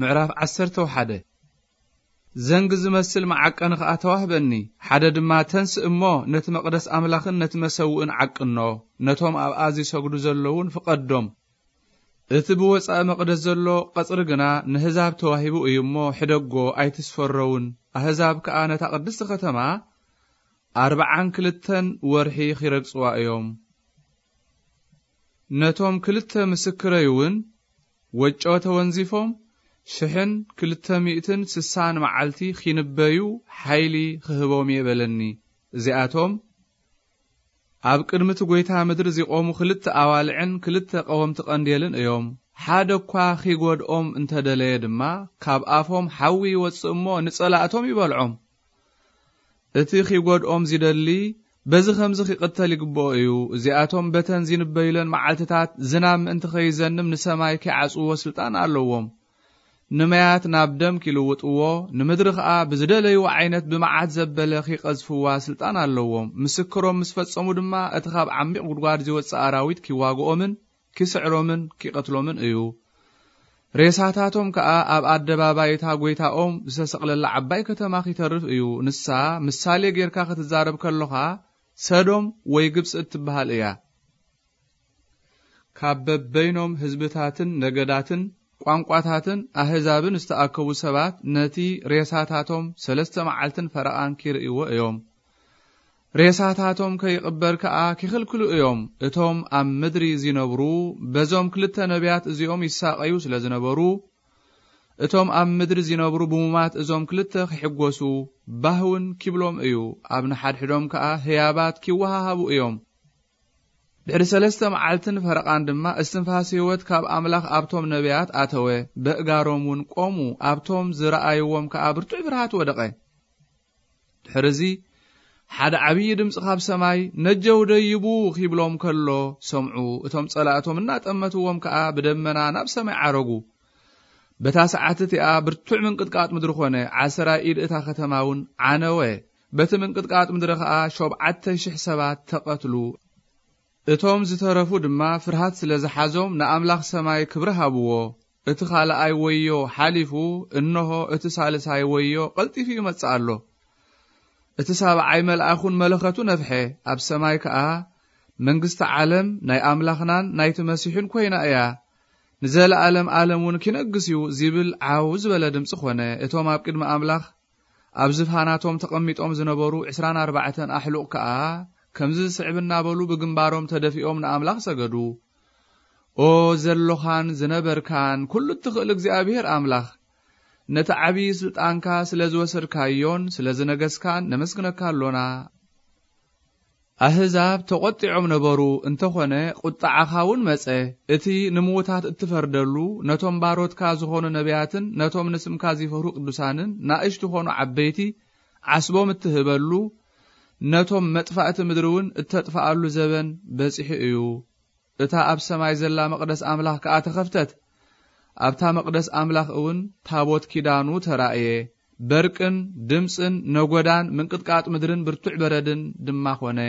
ምዕራፍ ዓሰርተ ሓደ። ዘንግ ዝመስል መዓቀኒ ኸኣ ተዋህበኒ። ሓደ ድማ፣ "ተንስእ እሞ ነቲ መቕደስ ኣምላኽን ነቲ መሰውእን ዓቅኖ፣ ነቶም ኣብኣ ዚሰግዱ ዘለዉን ፍቐዶም። እቲ ብወጻኢ መቕደስ ዘሎ ቐጽሪ ግና ንህዛብ ተዋሂቡ እዩ እሞ፣ ሕደጎ፣ ኣይትስፈሮውን። ኣህዛብ ከኣ ነታ ቅድስቲ ኸተማ ኣርብዓን ክልተን ወርሒ ኺረግጽዋ እዮም። ነቶም ክልተ ምስክረይ እውን ወጮ ተወንዚፎም ሽሕን ክልተ ሚእትን ስሳን መዓልቲ ኺንበዩ ሓይሊ ኽህቦም እየ" በለኒ። እዚኣቶም ኣብ ቅድሚ እቲ ጐይታ ምድሪ ዚቖሙ ክልተ ኣዋልዕን ክልተ ቀወምቲ ቀንዴልን እዮም። ሓደ እኳ ኺጐድኦም እንተ ደለየ ድማ፣ ካብ ኣፎም ሓዊ ይወጽእ እሞ፣ ንጸላእቶም ይበልዖም። እቲ ኺጐድኦም ዚደሊ፣ በዚ ኸምዚ ኺቕተል ይግብኦ እዩ። እዚኣቶም በተን ዚንበዩለን መዓልትታት፣ ዝናብ ምእንቲ ኸይዘንም ንሰማይ ኪዓጽውዎ ስልጣን ኣለዎም። ንመያት ናብ ደም ኪልውጥዎ፣ ንምድሪ ኸኣ ብዝደለይዎ ዓይነት ብመዓት ዘበለ ኺቐዝፍዋ ስልጣን ኣለዎም። ምስክሮም ምስ ፈጸሙ ድማ፣ እቲ ኻብ ዓሚቕ ጒድጓድ ዚወጽእ ኣራዊት ኪዋግኦምን ኪስዕሮምን ኪቐትሎምን እዩ። ሬሳታቶም ከኣ ኣብ ኣደባባይ እታ ጐይታኦም ዝተሰቕለላ ዓባይ ከተማ ኺተርፍ እዩ። ንሳ ምሳሌ ጌርካ ኽትዛረብ ከሎኻ፣ ሰዶም ወይ ግብጺ እትበሃል እያ። ካብ በበይኖም ህዝብታትን ነገዳትን ቋንቋታትን ኣህዛብን ዝተኣከቡ ሰባት ነቲ ሬሳታቶም ሰለስተ መዓልትን ፈረቓን ኪርእይዎ እዮም። ሬሳታቶም ከይቕበር ከኣ ኪኽልክሉ እዮም። እቶም ኣብ ምድሪ ዚነብሩ በዞም ክልተ ነቢያት እዚኦም ይሳቐዩ ስለ ዝነበሩ፣ እቶም ኣብ ምድሪ ዚነብሩ ብሙማት እዞም ክልተ ኺሕጐሱ ባህ እውን ኪብሎም እዩ። ኣብ ንሓድሕዶም ከኣ ህያባት ኪወሃሃቡ እዮም። ድሕሪ ሰለስተ መዓልትን ፈረቓን ድማ እስትንፋስ ህይወት ካብ ኣምላኽ ኣብቶም ነቢያት ኣተወ። በእጋሮም እውን ቆሙ። ኣብቶም ዝረኣይዎም ከኣ ብርቱዕ ፍርሃት ወደቐ። ድሕርዚ ሓደ ዓብዪ ድምፂ ካብ ሰማይ፣ "ነጀው ደይቡ" ኺብሎም ከሎ ሰምዑ። እቶም ጸላእቶም እናጠመትዎም ከኣ ብደመና ናብ ሰማይ ዓረጉ። በታ ሰዓት እቲኣ ብርቱዕ ምንቅጥቃጥ ምድሪ ኾነ። ዓሰራ ኢድ እታ ኸተማ እውን ዓነወ። በቲ ምንቅጥቃጥ ምድሪ ኸኣ ሸውዓተ ሽሕ ሰባት ተቐትሉ። እቶም ዝተረፉ ድማ ፍርሃት ስለ ዝሓዞም ንኣምላኽ ሰማይ ክብሪ ሃብዎ። እቲ ኻልኣይ ወዮ ሓሊፉ፣ እንሆ፣ እቲ ሳልሳይ ወዮ ቐልጢፉ ይመጽእ ኣሎ። እቲ ሳብዓይ መልኣኽ እውን መለኸቱ ነፍሐ። ኣብ ሰማይ ከኣ፣ "መንግስቲ ዓለም ናይ ኣምላኽናን ናይቲ መሲሑን ኰይና እያ። ንዘለኣለም ኣለም እውን ኪነግስ እዩ" ዚብል ዓው ዝበለ ድምጺ ኾነ። እቶም ኣብ ቅድሚ ኣምላኽ ኣብ ዝፋናቶም ተቐሚጦም ዝነበሩ ዕስራን ኣርባዕተን ኣሕሉቕ ከኣ ከምዚ ዝስዕብ እናበሉ ብግንባሮም ተደፊኦም ንኣምላኽ ሰገዱ። "ኦ ዘሎኻን ዝነበርካን ኩሉ እትኽእል እግዚኣብሄር ኣምላኽ፣ ነቲ ዓብዪ ስልጣንካ ስለ ዝወሰድካዮን ስለ ዝነገስካን ነመስግነካ ኣሎና። ኣህዛብ ተቖጢዖም ነበሩ፣ እንተኾነ ቁጥዓኻ እውን መጸ። እቲ ንምዉታት እትፈርደሉ፣ ነቶም ባሮትካ ዝኾኑ ነቢያትን ነቶም ንስምካ ዚፈርሁ ቅዱሳንን፣ ናእሽቱ ኾኑ ዓበይቲ፣ ዓስቦም እትህበሉ፣ ነቶም መጥፋእቲ ምድሪ እውን እተጥፍኣሉ ዘበን በጺሑ እዩ። እታ ኣብ ሰማይ ዘላ መቕደስ ኣምላኽ ከኣ ተኸፍተት። ኣብታ መቕደስ ኣምላኽ እውን ታቦት ኪዳኑ ተራእየ። በርቅን ድምጽን ነጎዳን ምንቅጥቃጥ ምድርን ብርቱዕ በረድን ድማ ኾነ።